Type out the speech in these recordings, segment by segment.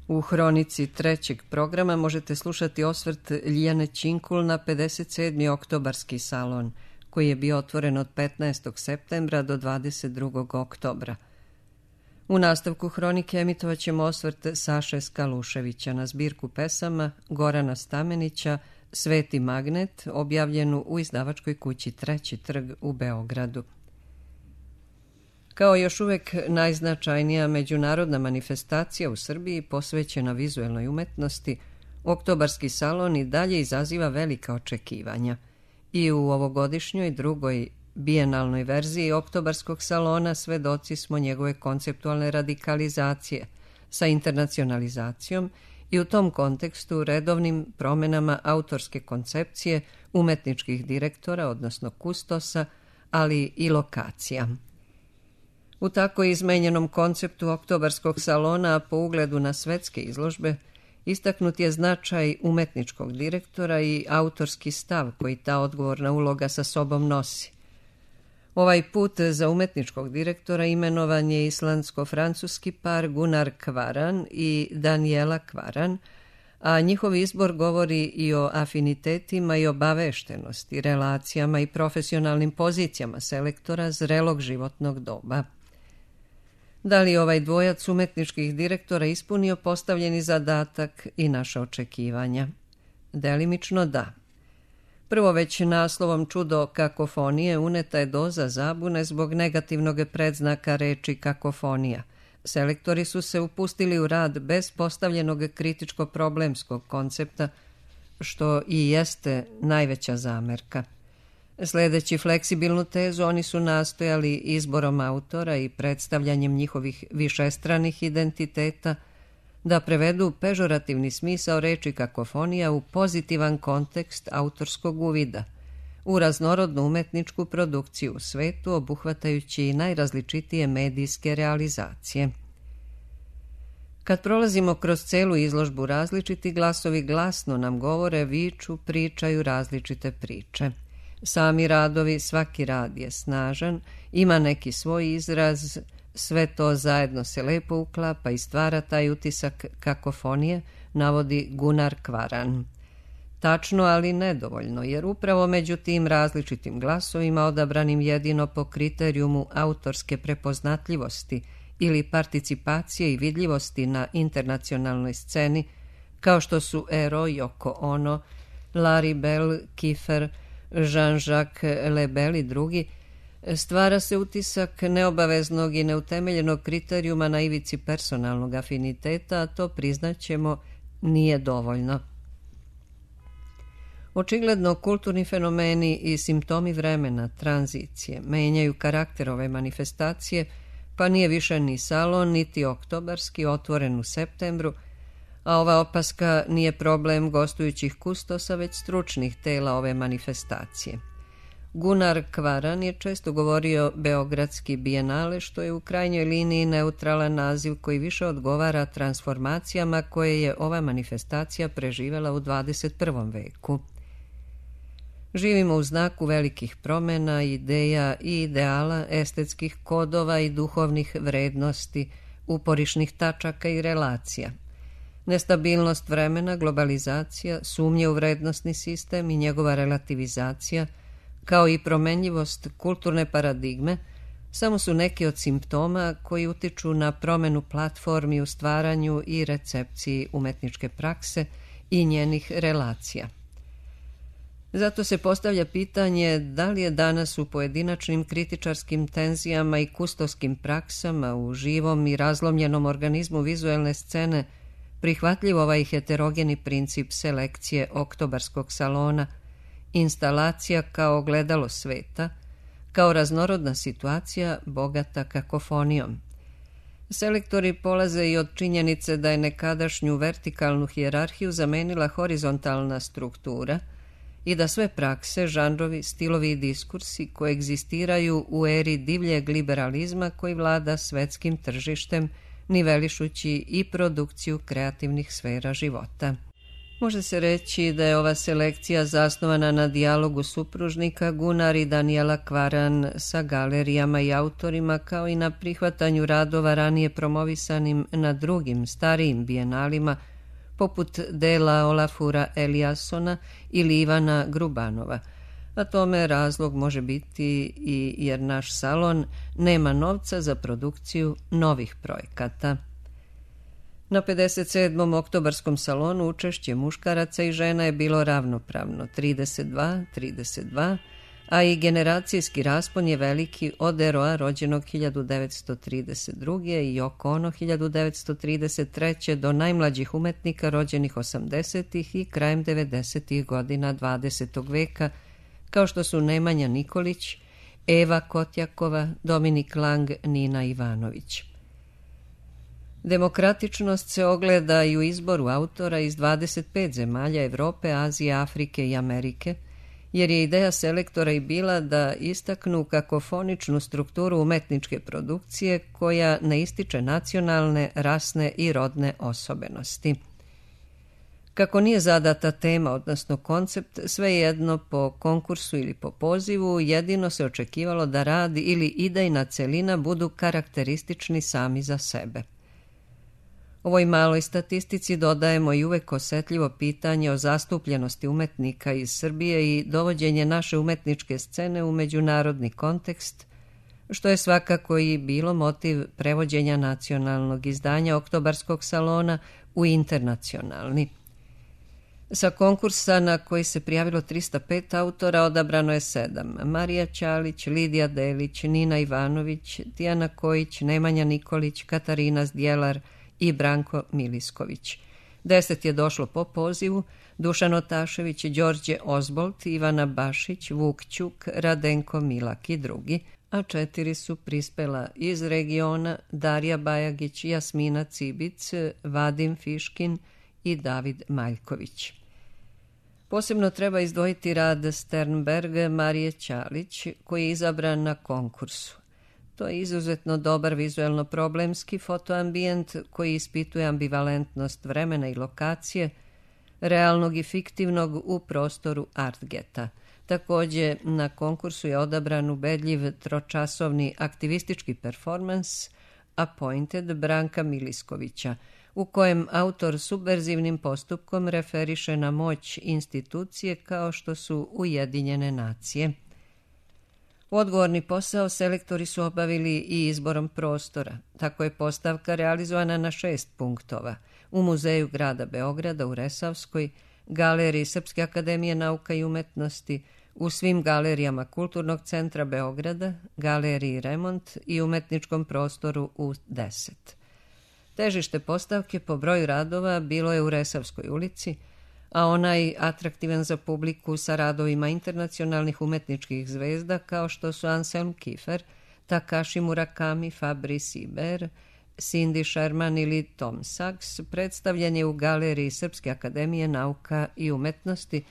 U hronici trećeg programa možete slušati osvrt Ljiljane Činkul na 57. oktobarski salon, koji je bio otvoren od 15. septembra do 22. oktobra. U nastavku hronike emitovat ćemo osvrt Saše Skaluševića na zbirku pesama Gorana Stamenića Sveti magnet, objavljenu u izdavačkoj kući Treći trg u Beogradu. Kao još uvek najznačajnija međunarodna manifestacija u Srbiji posvećena vizuelnoj umetnosti, oktobarski salon i dalje izaziva velika očekivanja. I u ovogodišnjoj drugoj bijenalnoj verziji oktobarskog salona svedoci smo njegove konceptualne radikalizacije sa internacionalizacijom i u tom kontekstu redovnim promenama autorske koncepcije, umetničkih direktora, odnosno kustosa, ali i lokacija. U tako izmenjenom konceptu oktobarskog salona, po ugledu na svetske izložbe, istaknut je značaj umetničkog direktora i autorski stav koji ta odgovorna uloga sa sobom nosi. Ovaj put za umetničkog direktora imenovan je islandsko-francuski par Gunnar Kvaran i Daniela Kvaran, a njihov izbor govori i o afinitetima i obaveštenosti, relacijama i profesionalnim pozicijama selektora zrelog životnog doba. Da li ovaj dvojac umetničkih direktora ispunio postavljeni zadatak i naša očekivanja? Delimično da. Prvo, već naslovom Čudo kakofonije uneta je doza zabune zbog negativnog predznaka reči kakofonija. Selektori su se upustili u rad bez postavljenog kritičko-problemskog koncepta, što i jeste najveća zamerka. Sledeći fleksibilnu tezu, oni su nastojali izborom autora i predstavljanjem njihovih višestranih identiteta da prevedu pežorativni smisao reči kakofonija u pozitivan kontekst autorskog uvida, u raznorodnu umetničku produkciju u svetu, obuhvatajući i najrazličitije medijske realizacije. Kad prolazimo kroz celu izložbu, različiti glasovi glasno nam govore, viču, pričaju različite priče. Sami radovi, svaki rad je snažan, ima neki svoj izraz, sve to zajedno se lepo uklapa i stvara taj utisak kakofonije, navodi Gunnar Kvaran. Tačno, ali nedovoljno, jer upravo među tim različitim glasovima, odabranim jedino po kriterijumu autorske prepoznatljivosti ili participacije i vidljivosti na internacionalnoj sceni, kao što su Ero, Yoko Ono, Larry Bell, Kiefer, Jean-Jacques Lebel i drugi, stvara se utisak neobaveznog i neutemeljenog kriterijuma na ivici personalnog afiniteta, a to, priznaćemo, nije dovoljno. Očigledno, kulturni fenomeni i simptomi vremena, tranzicije, menjaju karakter ove manifestacije, pa nije više ni salon, niti oktobarski, otvoren u septembru, a ova opaska nije problem gostujućih kustosa, već stručnih tela ove manifestacije. Gunnar Kvaran je često govorio Beogradski bijenale, što je u krajnjoj liniji neutralan naziv koji više odgovara transformacijama koje je ova manifestacija preživela u 21. veku. Živimo u znaku velikih promena, ideja i ideala, estetskih kodova i duhovnih vrednosti, uporišnih tačaka i relacija. Nestabilnost vremena, globalizacija, sumnje u vrednosni sistem i njegova relativizacija, kao i promenljivost kulturne paradigme, samo su neki od simptoma koji utiču na promenu platformi u stvaranju i recepciji umetničke prakse i njenih relacija. Zato se postavlja pitanje da li je danas u pojedinačnim kritičarskim tenzijama i kustoskim praksama u živom i razlomljenom organizmu vizuelne scene prihvatljiv ovaj heterogeni princip selekcije oktobarskog salona, instalacija kao ogledalo sveta, kao raznorodna situacija bogata kakofonijom. Selektori polaze i od činjenice da je nekadašnju vertikalnu hijerarhiju zamenila horizontalna struktura i da sve prakse, žanrovi, stilovi i diskursi koegzistiraju u eri divljeg liberalizma koji vlada svetskim tržištem, nivelišući i produkciju kreativnih sfera života. Može se reći da je ova selekcija zasnovana na dijalogu supružnika Gunnar i Daniela Kvaran sa galerijama i autorima, kao i na prihvatanju radova ranije promovisanim na drugim starijim bijenalima, poput dela Olafura Eliassona ili Ivana Grubanova. A tome razlog može biti i jer naš salon nema novca za produkciju novih projekata. Na 57. oktobarskom salonu učešće muškaraca i žena je bilo ravnopravno 32-32, a i generacijski raspon je veliki od Eroa rođenog 1932. i Yoko Ono 1933. do najmlađih umetnika rođenih 80. i krajem 90. godina 20. veka, kao što su Nemanja Nikolić, Eva Kotjakova, Dominik Lang, Nina Ivanović. Demokratičnost se ogleda i u izboru autora iz 25 zemalja Evrope, Azije, Afrike i Amerike, jer je ideja selektora i bila da istaknu kakofoničnu strukturu umetničke produkcije koja ne ističe nacionalne, rasne i rodne osobenosti. Kako nije zadata tema, odnosno koncept, svejedno po konkursu ili po pozivu, jedino se očekivalo da rad ili idejna celina budu karakteristični sami za sebe. Ovoj maloj statistici dodajemo i uvek osetljivo pitanje o zastupljenosti umetnika iz Srbije i dovođenje naše umetničke scene u međunarodni kontekst, što je svakako i bilo motiv prevođenja nacionalnog izdanja Oktobarskog salona u internacionalni. Sa konkursa na koji se prijavilo 305 autora odabrano je 7. Marija Ćalić, Lidija Delić, Nina Ivanović, Tijana Kojić, Nemanja Nikolić, Katarina Zdjelar i Branko Milisković. 10 je došlo po pozivu: Dušan Otašević, Đorđe Ozbolt, Ivana Bašić, Vuk Ćuk, Radenko Milak i drugi, a 4 su prispela iz regiona: Darija Bajagić, Jasmina Cibic, Vadim Fiškin i David Maljković. Posebno treba izdvojiti rad Sternberg Marije Ćalić, koji je izabran na konkursu. To je izuzetno dobar vizuelno-problemski fotoambijent koji ispituje ambivalentnost vremena i lokacije, realnog i fiktivnog u prostoru Artgeta. Također, na konkursu je odabran ubedljiv tročasovni aktivistički performans Appointed Branka Miliskovića, u kojem autor subverzivnim postupkom referiše na moć institucije kao što su Ujedinjene nacije. Odgovorni posao selektori su obavili i izborom prostora. Tako je postavka realizovana na 6 punktova: u Muzeju grada Beograda u Resavskoj, Galeriji Srpske akademije nauka i umetnosti, u svim galerijama Kulturnog centra Beograda, Galeriji Remont i umetničkom prostoru u 10. Težište postavke po broju radova bilo je u Resavskoj ulici, a onaj atraktivan za publiku sa radovima internacionalnih umetničkih zvezda kao što su Anselm Kiefer, Takashi Murakami, Fabrice Iber, Cindy Sherman ili Tom Sachs, predstavljen je u Galeriji Srpske akademije nauka i umetnosti,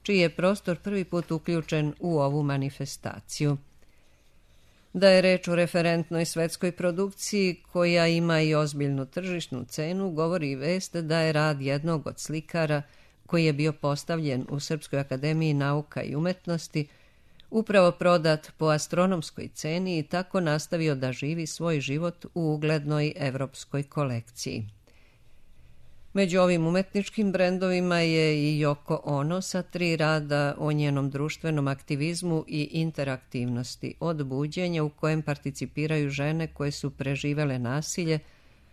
čiji je prostor prvi put uključen u ovu manifestaciju. Da je reč o referentnoj svetskoj produkciji koja ima i ozbiljnu tržišnu cenu, govori i vest da je rad jednog od slikara koji je bio postavljen u Srpskoj akademiji nauka i umetnosti upravo prodat po astronomskoj ceni i tako nastavio da živi svoj život u uglednoj evropskoj kolekciji. Među ovim umetničkim brendovima je i Yoko Ono sa 3 rada o njenom društvenom aktivizmu i interaktivnosti, od buđenja u kojem participiraju žene koje su preživele nasilje,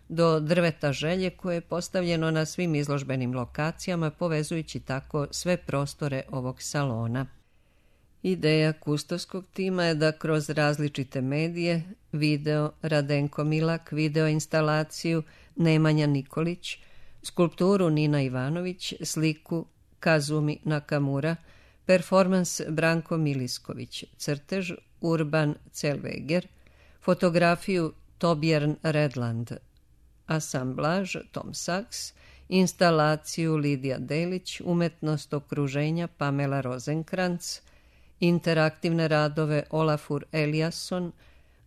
do drveta želje koje je postavljeno na svim izložbenim lokacijama, povezujući tako sve prostore ovog salona. Ideja kustovskog tima je da kroz različite medije, video Radenko Milak, video instalaciju Nemanja Nikolić, skulpturu Nina Ivanović, sliku Kazumi Nakamura, performans Branko Milisković, crtež Urban Zellweger, fotografiju Torbjörn Redland, asamblaž Tom Sachs, instalaciju Lidija Delić, umetnost okruženja Pamela Rosenkrantz, interaktivne radove Olafur Eliasson,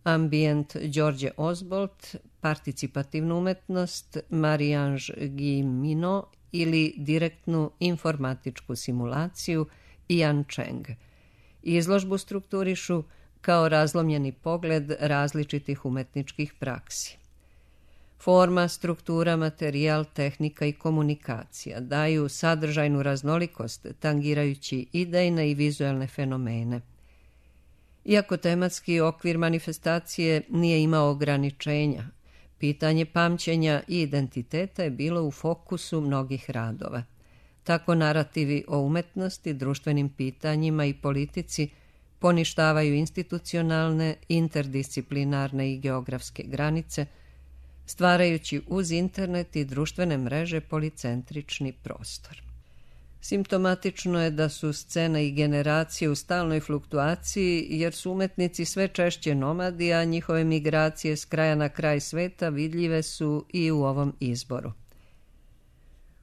ambijent Đorđe Ozbolt, participativnu umetnost Marie-Ange Guillemino ili direktnu informatičku simulaciju Ian Cheng. Izložbu strukturišu kao razlomljeni pogled različitih umetničkih praksi. Forma, struktura, materijal, tehnika i komunikacija daju sadržajnu raznolikost, tangirajući idejne i vizuelne fenomene. Iako tematski okvir manifestacije nije imao ograničenja, pitanje pamćenja i identiteta je bilo u fokusu mnogih radova. Tako narativi o umetnosti, društvenim pitanjima i politici poništavaju institucionalne, interdisciplinarne i geografske granice, stvarajući uz internet i društvene mreže policentrični prostor. Simptomatično je da su scene i generacije u stalnoj fluktuaciji, jer su umetnici sve češće nomadi, a njihove migracije s kraja na kraj sveta vidljive su i u ovom izboru.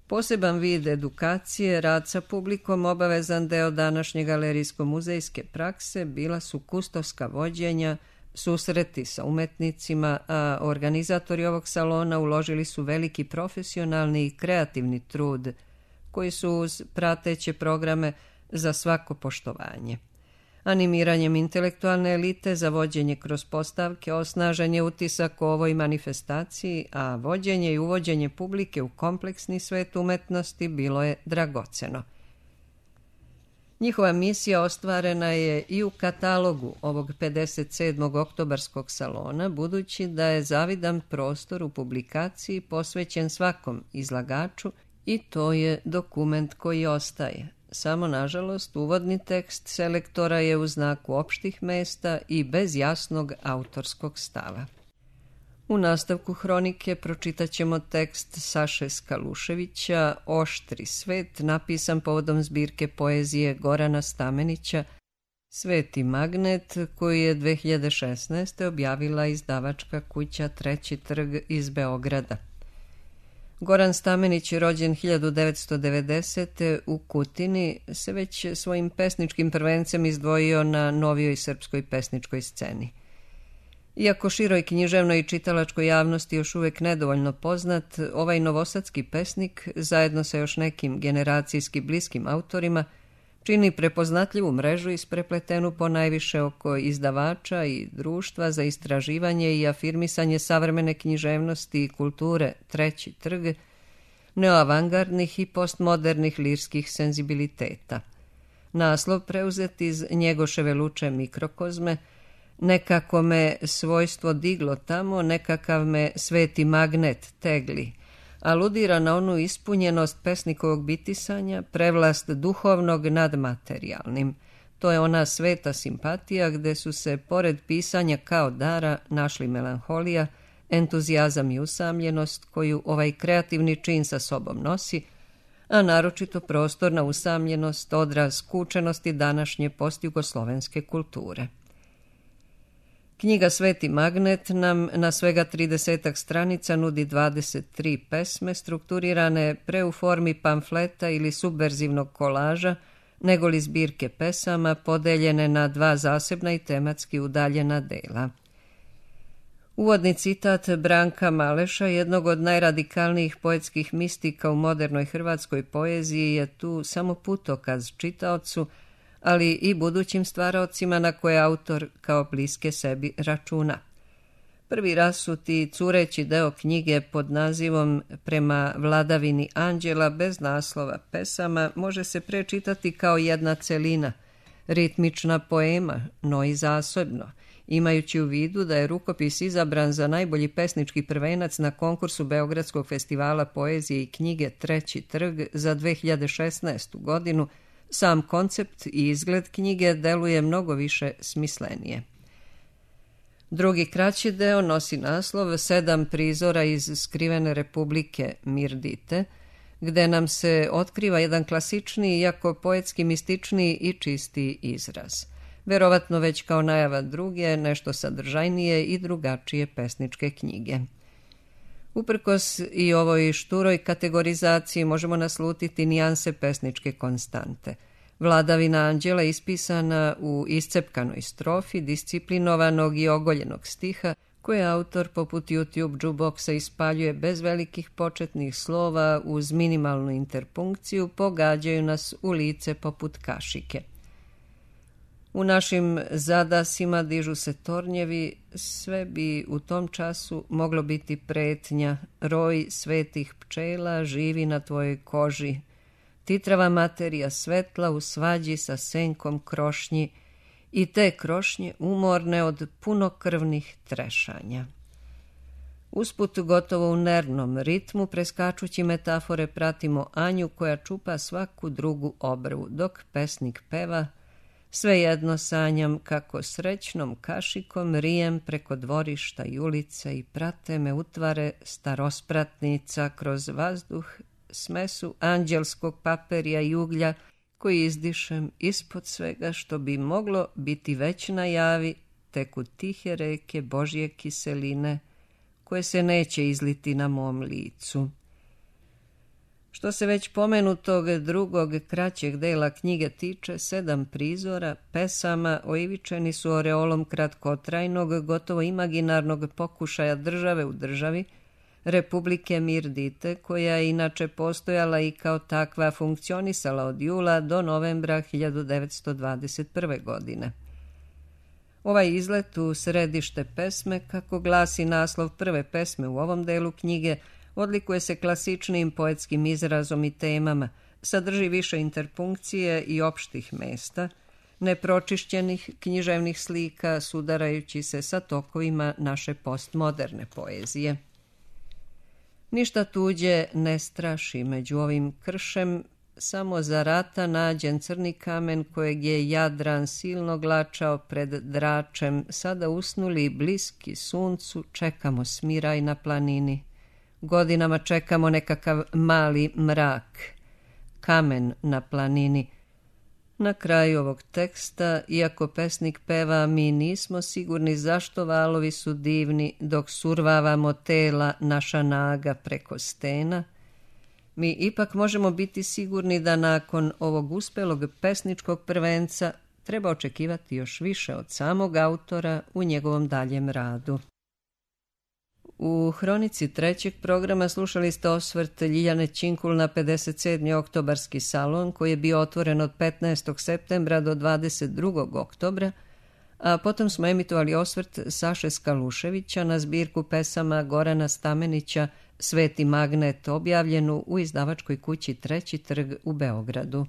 Poseban vid edukacije, rad sa publikom, obavezan deo današnje galerijsko-muzejske prakse, bila su kustovska vođenja, susreti sa umetnicima, a organizatori ovog salona uložili su veliki profesionalni i kreativni trud, koji su uz prateće programe za svako poštovanje. Animiranjem intelektualne elite za vođenje kroz postavke osnažen je utisak o ovoj manifestaciji, a vođenje i uvođenje publike u kompleksni svet umetnosti bilo je dragoceno. Njihova misija ostvarena je i u katalogu ovog 57. oktobarskog salona, budući da je zavidan prostor u publikaciji posvećen svakom izlagaču i to je dokument koji ostaje. Samo, nažalost, uvodni tekst selektora je u znaku opštih mesta i bez jasnog autorskog stava. U nastavku hronike pročitat ćemo tekst Saše Skaluševića Oštri svet, napisan povodom zbirke poezije Gorana Stamenića Sveti magnet, koji je 2016. objavila izdavačka kuća Treći trg iz Beograda. Goran Stamenić je rođen 1990. u Kutini, se već svojim pesničkim prvencem izdvojio na novijoj srpskoj pesničkoj sceni. Iako široj književnoj i čitalačkoj javnosti još uvijek nedovoljno poznat, ovaj novosadski pesnik, zajedno sa još nekim generacijski bliskim autorima, čini prepoznatljivu mrežu isprepletenu po najviše oko izdavača i društva za istraživanje i afirmisanje savremene književnosti i kulture Treći trg, neoavangardnih i postmodernih lirskih senzibiliteta. Naslov preuzet iz Njegoševe Luče Mikrokozme, nekako me svojstvo diglo tamo, nekakav me sveti magnet tegli, aludira na onu ispunjenost pesnikovog bitisanja, prevlast duhovnog nad materijalnim. To je ona sveta simpatija gde su se, pored pisanja kao dara, našli melanholija, entuzijazam i usamljenost koju ovaj kreativni čin sa sobom nosi, a naročito prostorna usamljenost, odraz skučenosti današnje postjugoslovenske kulture. Knjiga Sveti magnet nam na svega 30 stranica nudi 23 pesme strukturirane pre u formi pamfleta ili subverzivnog kolaža, negoli zbirke pesama podeljene na dva zasebna i tematski udaljena dela. Uvodni citat Branka Maleša, jednog od najradikalnijih poetskih mistika u modernoj hrvatskoj poeziji, je tu samo putokaz čitaocu, ali i budućim stvaraocima na koje autor kao bliske sebi računa. Prvi rasuti cureći deo knjige pod nazivom Prema vladavini anđela bez naslova pesama može se prečitati kao jedna celina, ritmična poema, no i zasebno, imajući u vidu da je rukopis izabran za najbolji pesnički prvenac na konkursu Beogradskog festivala poezije i knjige Treći trg za 2016. godinu. Sam koncept i izgled knjige deluje mnogo više smislenije. Drugi kraći deo nosi naslov 7 prizora iz skrivene republike Mirdite, gde nam se otkriva jedan klasičniji, iako poetski mističniji i čistiji izraz. Verovatno već kao najava druge, nešto sadržajnije i drugačije pesničke knjige. Uprkos i ovoj šturoj kategorizaciji možemo naslutiti nijanse pesničke konstante. Vladavina anđela ispisana u iscepkanoj strofi, disciplinovanog i ogoljenog stiha, koje autor poput YouTube jukeboxa ispaljuje bez velikih početnih slova uz minimalnu interpunkciju, pogađaju nas u lice poput kašike. U našim zadasima dižu se tornjevi, sve bi u tom času moglo biti pretnja, roj svetih pčela živi na tvojoj koži, titrava materija svetla u svađi sa senkom krošnji i te krošnje umorne od punokrvnih trešanja. Usput gotovo u nervnom ritmu, preskačući metafore, pratimo Anju koja čupa svaku drugu obrvu, dok pesnik peva: svejedno sanjam kako srećnom kašikom rijem preko dvorišta i ulice i prate me utvare starospratnica kroz vazduh, smesu anđelskog paperija i uglja koji izdišem ispod svega što bi moglo biti već na javi, teku tihe reke Božje kiseline koje se neće izliti na mom licu. Što se već pomenutog drugog kraćeg dela knjige tiče, 7 prizora pesama oivičeni su oreolom kratkotrajnog, gotovo imaginarnog pokušaja države u državi, Republike Mirdite, koja je inače postojala i kao takva funkcionisala od jula do novembra 1921. godine. Ovaj izlet u središte pesme, kako glasi naslov prve pesme u ovom delu knjige, odlikuje se klasičnim poetskim izrazom i temama, sadrži više interpunkcije i opštih mesta, nepročišćenih književnih slika sudarajući se sa tokovima naše postmoderne poezije. Ništa tuđe ne straši među ovim kršem, samo za rata nađen crni kamen kojeg je Jadran silno glačao pred dračem, sada usnuli bliski suncu, čekamo smiraj na planini. Godinama čekamo nekakav mali mrak, kamen na planini. Na kraju ovog teksta, iako pesnik peva, mi nismo sigurni zašto valovi su divni dok survavamo tela naša naga preko stena, mi ipak možemo biti sigurni da nakon ovog uspelog pesničkog prvenca treba očekivati još više od samog autora u njegovom daljem radu. U hronici trećeg programa slušali ste osvrt Ljiljane Činkul na 57. oktobarski salon koji je bio otvoren od 15. septembra do 22. oktobra, a potom smo emitovali osvrt Saše Skaluševića na zbirku pesama Gorana Stamenića Sveti magnet, objavljenu u izdavačkoj kući Treći trg u Beogradu.